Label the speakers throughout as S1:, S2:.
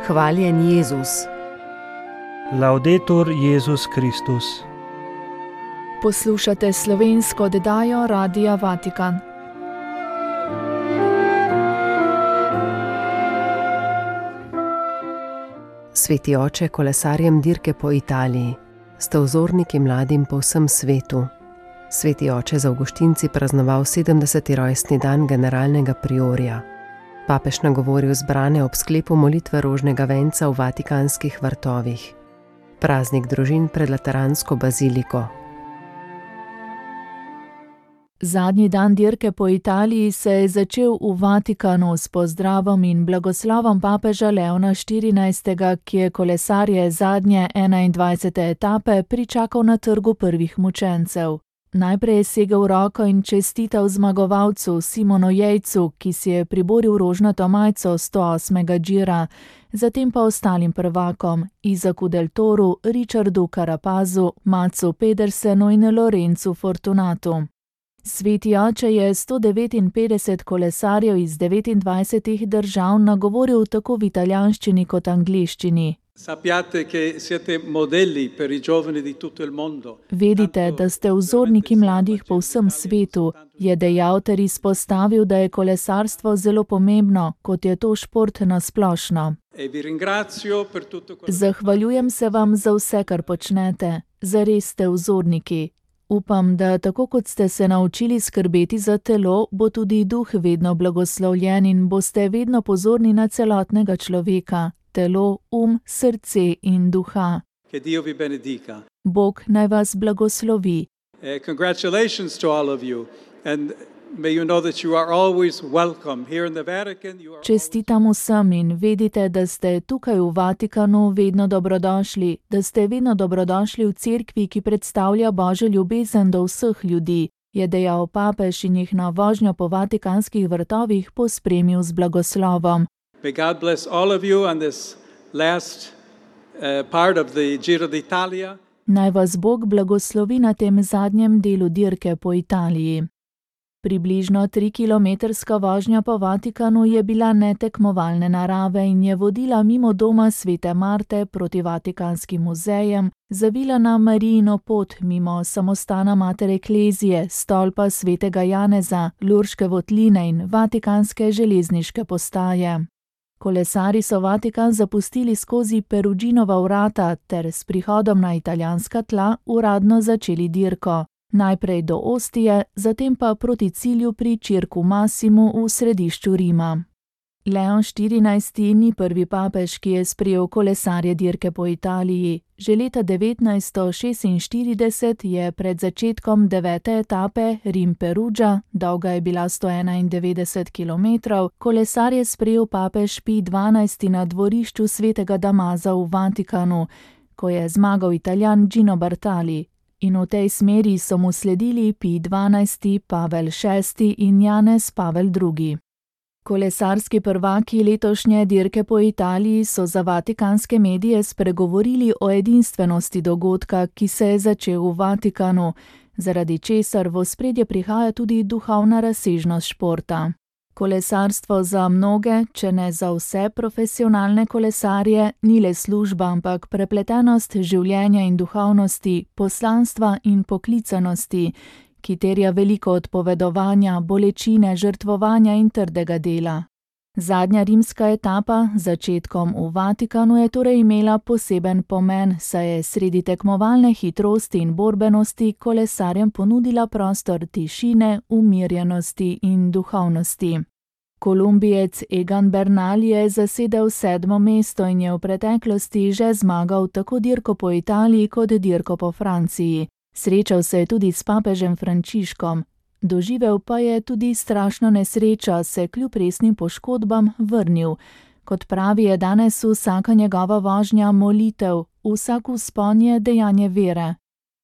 S1: Hvaljen Jezus.
S2: Laudetur Jezus Kristus.
S3: Poslušate slovensko oddajo Radia Vatikan.
S1: Sveti oče, kolesarjem dirke po Italiji, ste vzorniki mladim po vsem svetu. Sveti oče z avguštinci praznoval 70. rojstni dan generalnega priorja. Papež nagovoril zbrane ob sklepu molitve rožnega venca v vatikanskih vrtovih. Praznik družin pred lateransko baziliko.
S3: Zadnji dan dirke po Italiji se je začel v Vatikanu s pozdravom in blagoslovom papeža Leona XIV., ki je kolesarje zadnje 21. etape pričakal na trgu prvih mučencev. Najprej je segel roko in čestital zmagovalcu Simonu Jejcu, ki si je priboril rožnato majico 108. džira, zatem pa ostalim prvakom Isaku Del Toru, Richardu Carapazu, Matsu Pedersenu in Lorenzu Fortunatu. Sveti oče je 159 kolesarjev iz 29 držav nagovoril tako v italijanščini kot angleščini. Vedite, da ste vzorniki mladih po vsem svetu, je dejal ter izpostavil, da je kolesarstvo zelo pomembno, kot je to šport nasplošno. Zahvaljujem se vam za vse, kar počnete, zares ste vzorniki. Upam, da tako kot ste se naučili skrbeti za telo, bo tudi duh vedno blagoslovljen in boste vedno pozorni na celotnega človeka, telo, srce in duha. Bog naj vas blagoslovi.
S4: Congratulations to all of you and may you know that you are always welcome here in the Vatican.
S3: Čestitam vsem in vedite, da ste tukaj v Vatikanu vedno dobrodošli, da ste vedno dobrodošli v cerkvi, ki predstavlja Božjo ljubezen do vseh ljudi, je dejal papež in jih na vožnjo po vatikanskih vrtovih pospremil z blagoslovom.
S4: May God bless all of you on this last part of the Giro d'Italia.
S3: Naj vas Bog blagoslovi na tem zadnjem delu dirke po Italiji. Približno 3-kilometrska vožnja po Vatikanu je bila netekmovalne narave in je vodila mimo doma Svete Marte proti Vatikanskim muzejem, zavila na Marijino pot mimo samostana Mater Ecclesiae, stolpa Svetega Janeza, Lurške votline in Vatikanske železniške postaje. Kolesari so Vatikan zapustili skozi Peruginova vrata ter s prihodom na italijanska tla uradno začeli dirko. Najprej do Ostije, zatem pa proti cilju pri Circu Massimu v središču Rima. Leon XIV. Ni prvi papež, ki je sprejel kolesarje dirke po Italiji. Že leta 1946 je pred začetkom 9. etape Rim-Perugia, dolga je bila 191 kilometrov, kolesarje sprejel papež Pij XII. Na dvorišču Svetega Damaza v Vatikanu, ko je zmagal Italijan Gino Bartali. In v tej smeri so mu sledili Pij XII., Pavel VI. In Janez Pavel II. Kolesarski prvaki letošnje dirke po Italiji so za vatikanske medije spregovorili o edinstvenosti dogodka, ki se je začel v Vatikanu, zaradi česar v ospredje prihaja tudi duhovna razsežnost športa. Kolesarstvo za mnoge, če ne za vse profesionalne kolesarje, ni le služba, ampak prepletenost življenja in duhovnosti, poslanstva in poklicanosti, ki terja veliko odpovedovanja, bolečine, žrtvovanja in trdega dela. Zadnja rimska etapa, začetkom v Vatikanu, je torej imela poseben pomen, saj je sredi tekmovalne hitrosti in borbenosti kolesarjem ponudila prostor tišine, umirjenosti in duhovnosti. Kolumbijec Egan Bernal je zasedel 7. mesto in je v preteklosti že zmagal tako dirko po Italiji kot dirko po Franciji. Srečal se je tudi s papežem Frančiškom. Doživel pa je tudi strašno nesrečo, se kljub resnim poškodbam vrnil. Kot pravi, je danes vsaka njegova vožnja molitev, vsak vzpon je dejanje vere.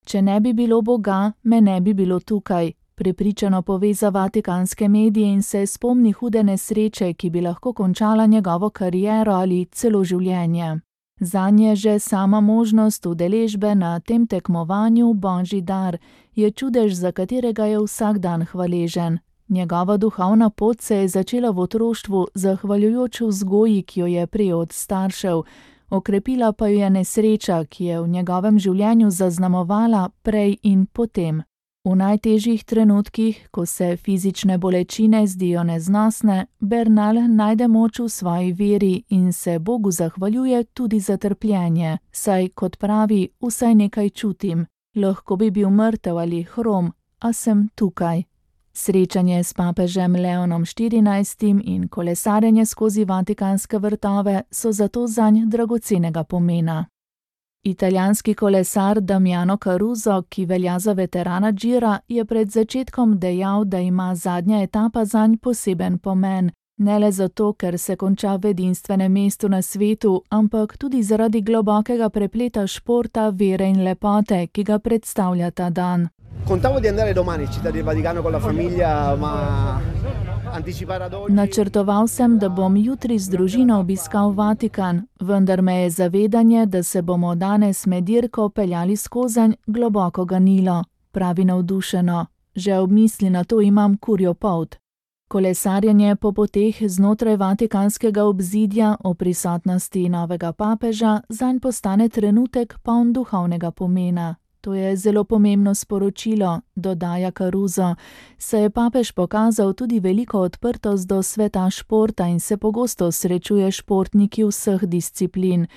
S3: Če ne bi bilo Boga, me ne bi bilo tukaj, prepričano pove za vatikanske medije in se spomni hude nesreče, ki bi lahko končala njegovo kariero ali celo življenje. Zanje že sama možnost udeležbe na tem tekmovanju Božji dar, je čudež, za katerega je vsak dan hvaležen. Njegova duhovna pot se je začela v otroštvu zahvaljujoč vzgoji, ki jo je prejel od staršev, okrepila pa jo je nesreča, ki je v njegovem življenju zaznamovala prej in potem. V najtežjih trenutkih, ko se fizične bolečine zdijo neznosne, Bernal najde moč v svoji veri in se Bogu zahvaljuje tudi za trpljenje, saj, kot pravi, vsaj nekaj čutim. Lahko bi bil mrtev ali hrom, a sem tukaj. Srečanje s papežem Leonom XIV in kolesarjenje skozi vatikanske vrtove so zato zanj dragocenega pomena. Italijanski kolesar Damiano Caruso, ki velja za veterana Gira, je pred začetkom dejal, da ima zadnja etapa zanj poseben pomen. Ne le zato, ker se konča v edinstvenem mestu na svetu, ampak tudi zaradi globokega prepleta športa, vere in lepote, ki ga predstavlja ta dan.
S2: Contavo di andare domani in Città del Vaticano con la famiglia, ma anticipare ad oggi...
S3: Načrtoval sem, da bom jutri z družino obiskal Vatikan, vendar me je zavedanje, da se bomo danes med dirko peljali skozenj, globoko ganilo, pravi navdušeno. Že ob misli na to imam kurjo polt. Kolesarjenje po poteh znotraj vatikanskega obzidja o prisotnosti novega papeža zanj postane trenutek poln duhovnega pomena. To je zelo pomembno sporočilo, dodaja Caruso, saj je papež pokazal tudi veliko odprtost do sveta športa in se pogosto srečuje športniki vseh disciplin.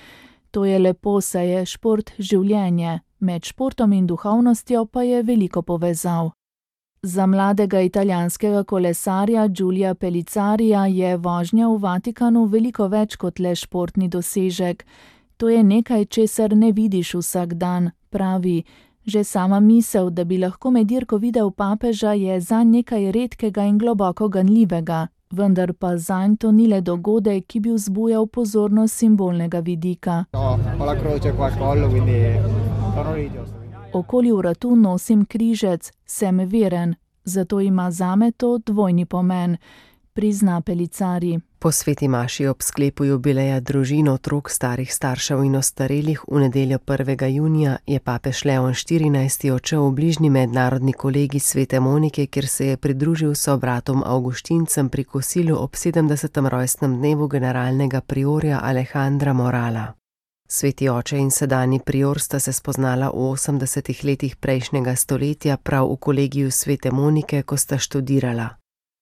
S3: To je lepo, saj je šport življenje, med športom in duhovnostjo pa je veliko povezav. Za mladega italijanskega kolesarja Giulia Pellizzarija je vožnja v Vatikanu veliko več kot le športni dosežek. To je nekaj, česar ne vidiš vsak dan, pravi. Že sama misel, da bi lahko med dirko videl papeža, je zanj nekaj redkega in globoko ganljivega, vendar pa zanj to ni le dogodek, ki bi vzbujal pozornost simbolnega vidika. Okoli vratu nosim križec, sem veren, zato ima zame to dvojni pomen, prizna Pellizzari.
S1: Po sveti maši ob sklepu jubileja družin, otrok, starih staršev in ostarelih v nedeljo 1. junija je papež Leon XIV odšel v bližnji mednarodni kolegij Svete Monike, kjer se je pridružil sobratom avguštincem pri kosilu ob 70. rojstnem dnevu generalnega priorja Alejandra Morala. Sveti oče in sedanji prior sta se spoznala v 80. letih prejšnjega stoletja prav v kolegiju Svete Monike, ko sta študirala.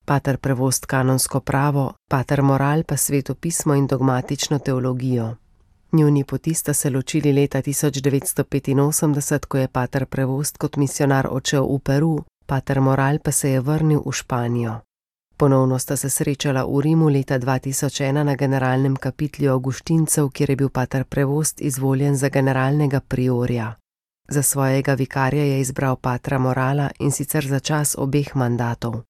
S1: Pater Prevost kanonsko pravo, pater Moral pa sveto pismo in dogmatično teologijo. Njuni poti sta se ločili leta 1985, ko je pater Prevost kot misionar odšel v Peru, pater Moral pa se je vrnil v Španijo. Ponovno sta se srečala v Rimu leta 2001 na generalnem kapitlju avguštincev, kjer je bil pater Prevost izvoljen za generalnega priorja. Za svojega vikarja je izbral patra Morala in sicer za čas obeh mandatov.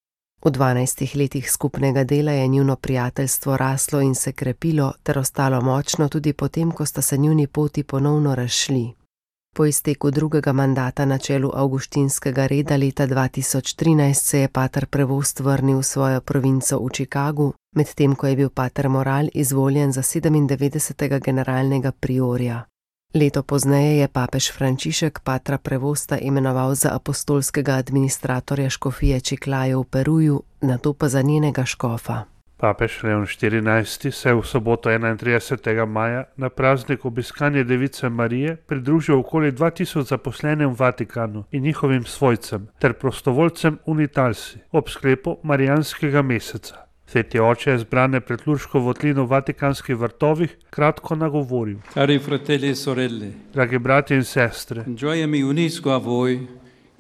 S1: V 12 letih skupnega dela je njuno prijateljstvo raslo in se krepilo ter ostalo močno tudi potem, ko sta se njuni poti ponovno razšli. Po izteku drugega mandata na čelu avguštinskega reda leta 2013 se je pater Prevost vrnil v svojo provinco v Chicagu, medtem ko je bil pater Moral izvoljen za 97. generalnega priorja. Leto pozneje je papež Frančišek patra Prevosta imenoval za apostolskega administratorja škofije Chiclayo v Peruju, nato pa za njenega škofa.
S5: Papež Leon XIV se je v soboto 31. maja na praznik obiskanja Device Marije pridružil okoli 2000 zaposlenim v Vatikanu in njihovim svojcem ter prostovoljcem Unitalsi ob sklepu Marijanskega meseca. Sveti oče je zbrane pred Lurško votlino v Vatikanskih vrtovih kratko nagovoril.
S4: Cari fratelli e sorelle,
S5: dragi bratje in sestre,
S4: con gioia mi unisco a voi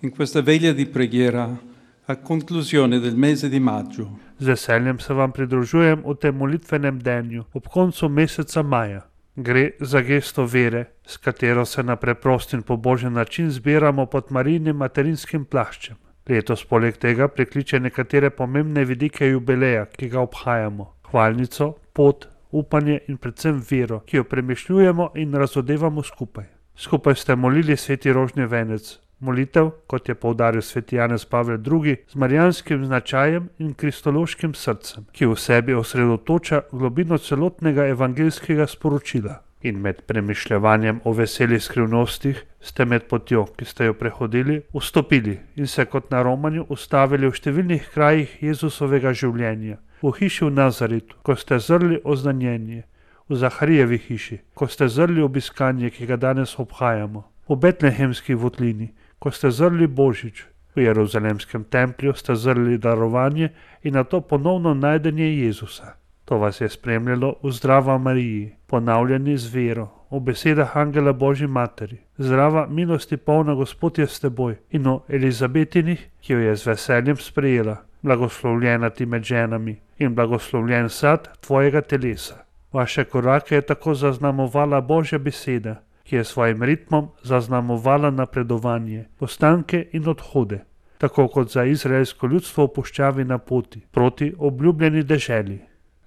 S4: in questa veglia di preghiera a conclusione del mese di maggio.
S5: Z veseljem se vam pridružujem v tem molitvenem denju ob koncu meseca maja. Gre za gesto vere, s katero se na preprost in pobožen način zbiramo pod Marijinim materinskim plaščem. Letos poleg tega prekliče nekatere pomembne vidike jubileja, ki ga obhajamo. Hvalnico, pot, upanje in predvsem vero, ki jo premišljujemo in razodevamo skupaj. Skupaj ste molili sveti rožni venec. Molitev, kot je poudaril sveti Janez Pavel II, z marijanskim značajem in kristološkim srcem, ki v sebi osredotoča globino celotnega evangeljskega sporočila. In med premišljevanjem o veselih skrivnostih ste med potjo, ki ste jo prehodili, vstopili in se kot na romanju ustavili v številnih krajih Jezusovega življenja. V hiši v Nazaretu, ko ste zrli oznanjenje, v Zaharijevi hiši, ko ste zrli obiskanje, ki ga danes obhajamo, v Betlehemski votlini, ko ste zrli Božič, v Jeruzalemskem templju ste zrli darovanje in nato ponovno najdenje Jezusa. To vas je spremljalo v Zdrava Mariji, ponavljani z vero, v besedah Angela Božji Materi, zdrava milosti polna Gospod je s teboj, in o Elizabetinih, ki jo je z veseljem sprejela, blagoslovljena ti med ženami in blagoslovljen sad tvojega telesa. Vaše korake je tako zaznamovala Božja beseda, ki je svojim ritmom zaznamovala napredovanje, postanke in odhode, tako kot za izraelsko ljudstvo v puščavi na poti proti obljubljeni deželi.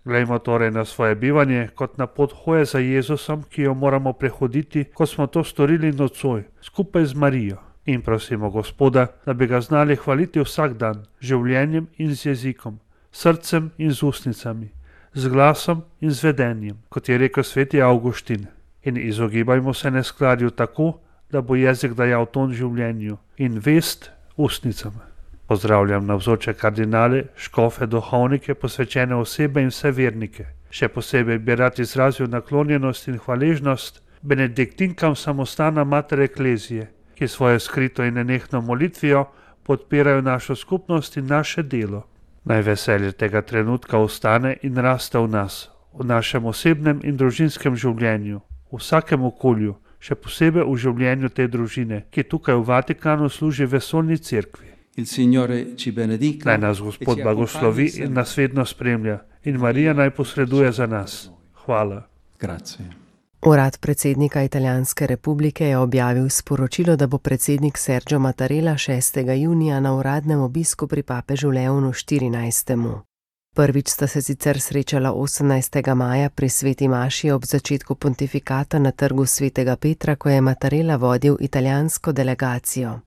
S5: Glejmo torej na svoje bivanje kot na pot hoje za Jezusom, ki jo moramo prehoditi, kot smo to storili nocoj, skupaj z Marijo. In prosimo Gospoda, da bi ga znali hvaliti vsak dan, z življenjem in z jezikom, srcem in z ustnicami, z glasom in z vedenjem, kot je rekel sveti Avguštin. In izogibajmo se neskladju tako, da bo jezik dajal ton življenju in vest ustnicam. Pozdravljam navzoče kardinale, škofe, duhovnike, posvečene osebe in vse vernike. Še posebej bi rad izrazil naklonjenost in hvaležnost benediktinkam samostana Mater Eklezije, ki svojo skrito in nenehno molitvijo podpirajo našo skupnost in naše delo. Naj veselje tega trenutka ostane in raste v nas, v našem osebnem in družinskem življenju, v vsakem okolju, še posebej v življenju te družine, ki tukaj v Vatikanu služi vesoljni cerkvi. Naj nas Gospod blagoslovi in nas vedno spremlja in Marija naj posreduje za nas. Hvala.
S1: Urad predsednika Italijanske republike je objavil sporočilo, da bo predsednik Sergio Mattarella 6. junija na uradnem obisku pri papežu Leonu XIV. Prvič sta se sicer srečala 18. maja pri sveti maši ob začetku pontifikata na trgu svetega Petra, ko je Mattarella vodil italijansko delegacijo.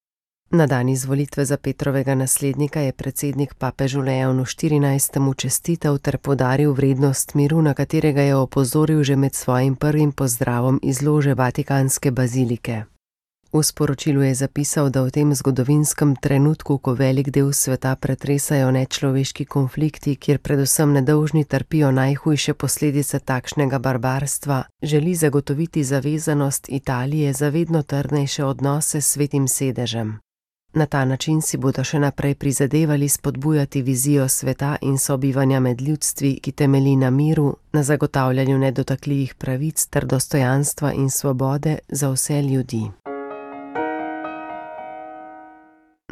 S1: Na dan izvolitve za Petrovega naslednika je predsednik papežu Leonu XIV. Čestital ter poudaril vrednost miru, na katerega je opozoril že med svojim prvim pozdravom iz lože Vatikanske bazilike. V sporočilu je zapisal, da v tem zgodovinskem trenutku, ko velik del sveta pretresajo nečloveški konflikti, kjer predvsem nedolžni trpijo najhujše posledice takšnega barbarstva, želi zagotoviti zavezanost Italije za vedno trdnejše odnose s svetim sedežem. Na ta način si bodo še naprej prizadevali spodbujati vizijo sveta in sobivanja med ljudstvi, ki temelji na miru, na zagotavljanju nedotakljivih pravic ter dostojanstva in svobode za vse ljudi.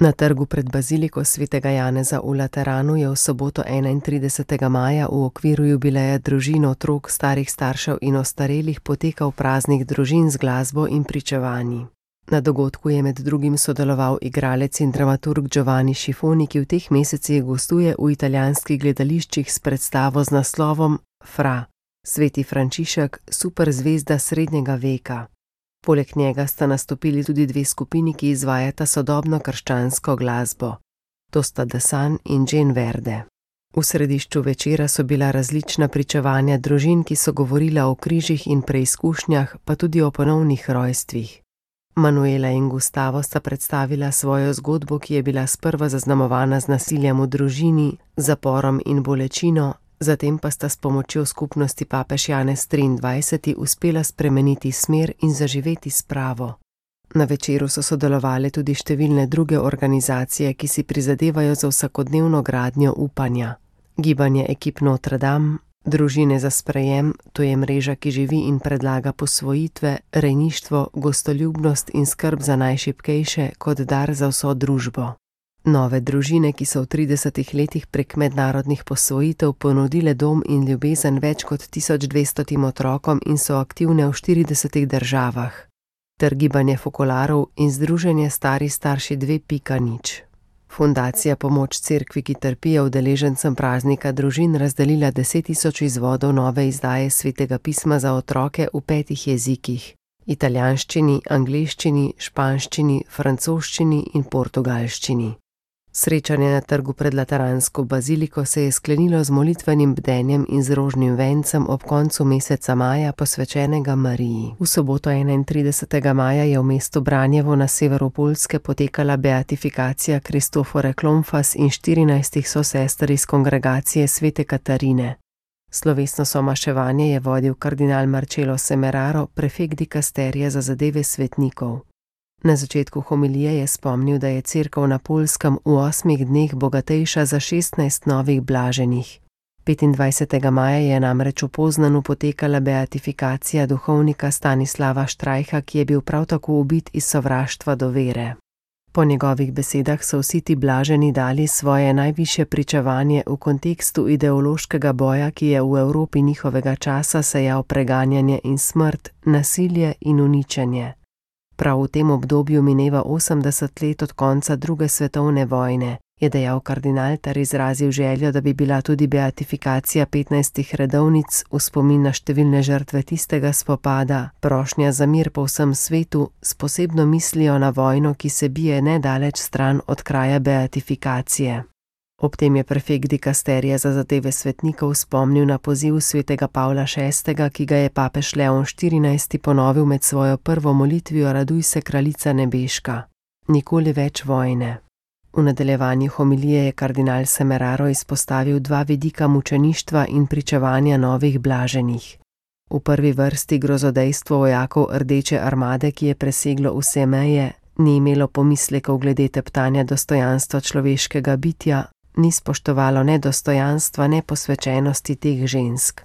S1: Na trgu pred baziliko svetega Janeza v Lateranu je v soboto 31. maja v okviru jubileja družin, otrok, starih staršev in ostarelih potekal praznik družin z glasbo in pričevanji. Na dogodku je med drugim sodeloval igralec in dramaturg Giovanni Schifoni, ki v teh mesecih gostuje v italijanskih gledališčih s predstavo z naslovom Fra, Sveti Frančišek, superzvezda srednjega veka. Poleg njega sta nastopili tudi dve skupini, ki izvajata sodobno krščansko glasbo. To sta The Sun in Jane Verde. V središču večera so bila različna pričevanja družin, ki so govorila o križih in preizkušnjah, pa tudi o ponovnih rojstvih. Manuela in Gustavo sta predstavila svojo zgodbo, ki je bila sprva zaznamovana z nasiljem v družini, zaporom in bolečino, zatem pa sta s pomočjo skupnosti papež Janez XXIII. Uspela spremeniti smer in zaživeti spravo. Na večeru so sodelovale tudi številne druge organizacije, ki si prizadevajo za vsakodnevno gradnjo upanja. Gibanje ekip Notre Dame, Družine za sprejem, to je mreža, ki živi in predlaga posvojitve, rejništvo, gostoljubnost in skrb za najšibkejše kot dar za vso družbo. Nove družine, ki so v 30 letih prek mednarodnih posvojitev ponudile dom in ljubezen več kot 1200 otrokom in so aktivne v 40 državah. Ter gibanje fokolarov in združenje Stari starši 2.0. Fundacija Pomoč cerkvi, ki trpijo udeležencem praznika družin, razdelila 10 000 izvodov nove izdaje Svetega pisma za otroke v 5 jezikih: italijanščini, angleščini, španščini, francoščini in portugalščini. Srečanje na trgu pred Lateransko baziliko se je sklenilo z molitvenim bdenjem in z rožnim vencem ob koncu meseca maja, posvečenega Mariji. V soboto 31. maja je v mestu Branjevo na severu Poljske potekala beatifikacija Kristofore Klomfas in 14 sosester iz kongregacije Svete Katarine. Slovesno somaševanje je vodil kardinal Marcello Semeraro, prefekt dikasterija za zadeve svetnikov. Na začetku homilije je spomnil, da je cerkev na Poljskem v 8 dneh bogatejša za 16 novih blaženih. 25. maja je namreč v Poznanu potekala beatifikacija duhovnika Stanislava Štrajha, ki je bil prav tako ubit iz sovraštva do vere. Po njegovih besedah so vsi ti blaženi dali svoje najvišje pričevanje v kontekstu ideološkega boja, ki je v Evropi njihovega časa sejal preganjanje in smrt, nasilje in uničenje. Prav v tem obdobju mineva 80 let od konca druge svetovne vojne, je dejal kardinal ter izrazil željo, da bi bila tudi beatifikacija 15 redovnic v spomin na številne žrtve tistega spopada, prošnja za mir po vsem svetu, s posebno mislijo na vojno, ki se bije nedaleč stran od kraja beatifikacije. Ob tem je prefekt dikasterija za zadeve svetnikov spomnil na poziv svetega Pavla VI., ki ga je papež Leon XIV. Ponovil med svojo prvo molitvijo Raduj se, kraljica nebeška. Nikoli več vojne. V nadaljevanju homilije je kardinal Semeraro izpostavil 2 vidika mučeništva in pričevanja novih blaženih. V prvi vrsti grozodejstvo vojakov Rdeče armade, ki je preseglo vse meje, ni imelo pomislekov glede teptanja dostojanstva človeškega bitja, ni spoštovalo ne dostojanstva, ne posvečenosti teh žensk.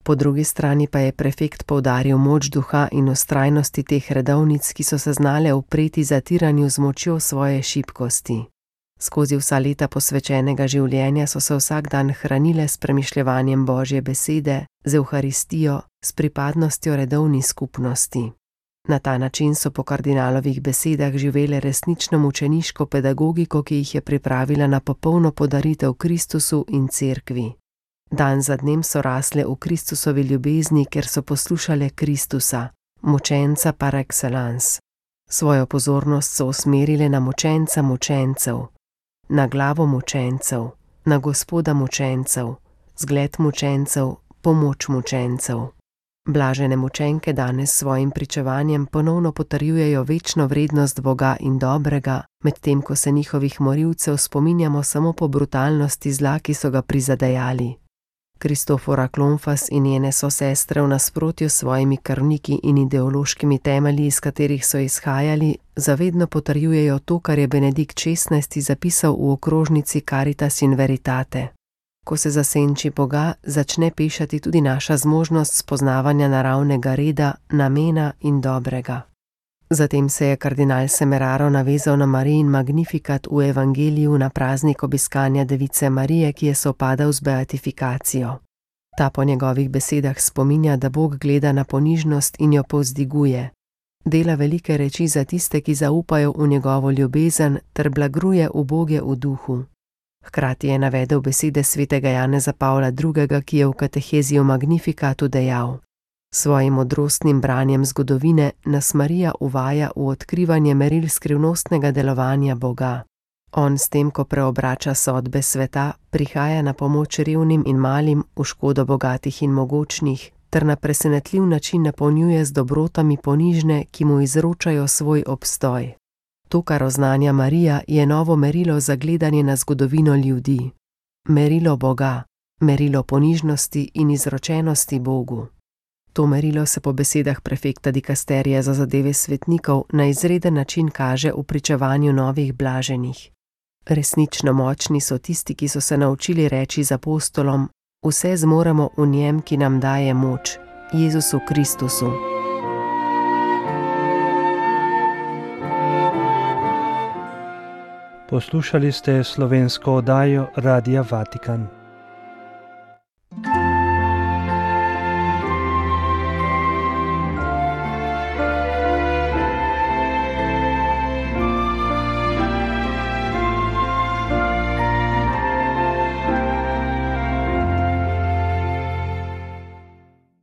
S1: Po drugi strani pa je prefekt poudaril moč duha in vztrajnosti teh redovnic, ki so se znale upreti zatiranju z močjo svoje šibkosti. Skozi vsa leta posvečenega življenja so se vsak dan hranile s premišljevanjem Božje besede, z Evharistijo, s pripadnostjo redovni skupnosti. Na ta način so po kardinalovih besedah živele resnično mučeniško pedagogiko, ki jih je pripravila na popolno podaritev Kristusu in cerkvi. Dan za dnem so rasle v Kristusovi ljubezni, ker so poslušale Kristusa, mučenca par excellence. Svojo pozornost so usmerile na mučenca mučencev, na glavo mučencev, na Gospoda mučencev, zgled mučencev, pomoč mučencev. Blažene mučenke danes s svojim pričevanjem ponovno potrjujejo večno vrednost Boga in dobrega, medtem ko se njihovih morilcev spominjamo samo po brutalnosti zla, ki so ga prizadejali. Kristofora Klomfas in njene sosestre v nasprotju s svojimi krvniki in ideološkimi temelji, iz katerih so izhajali, zavedno potrjujejo to, kar je Benedikt XVI. Zapisal v okrožnici Caritas in Veritate. Ko se zasenči Boga, začne pešati tudi naša zmožnost spoznavanja naravnega reda, namena in dobrega. Zatem se je kardinal Semeraro navezal na Marijin Magnifikat v evangeliju na praznik obiskanja Device Marije, ki je sovpadal z beatifikacijo. Ta po njegovih besedah spominja, da Bog gleda na ponižnost in jo povzdiguje. Dela velike reči za tiste, ki zaupajo v njegovo ljubezen, ter blagruje uboge v duhu. Hkrati je navedel besede svetega Janeza Pavla II., ki je v katehezi o Magnifikatu dejal: svojim modrostnim branjem zgodovine nas Marija uvaja v odkrivanje meril skrivnostnega delovanja Boga. On s tem, ko preobrača sodbe sveta, prihaja na pomoč revnim in malim v škodo bogatih in mogočnih, ter na presenetljiv način napolnjuje z dobrotami ponižne, ki mu izročajo svoj obstoj. To, kar oznanja Marija, je novo merilo za gledanje na zgodovino ljudi. Merilo Boga, merilo ponižnosti in izročenosti Bogu. To merilo se po besedah prefekta dikasterija za zadeve svetnikov na izreden način kaže v pričevanju novih blaženih. Resnično močni so tisti, ki so se naučili reči z apostolom: vse zmoremo v njem, ki nam daje moč, Jezusu Kristusu.
S5: Poslušali ste slovensko oddajo Radia Vatikan.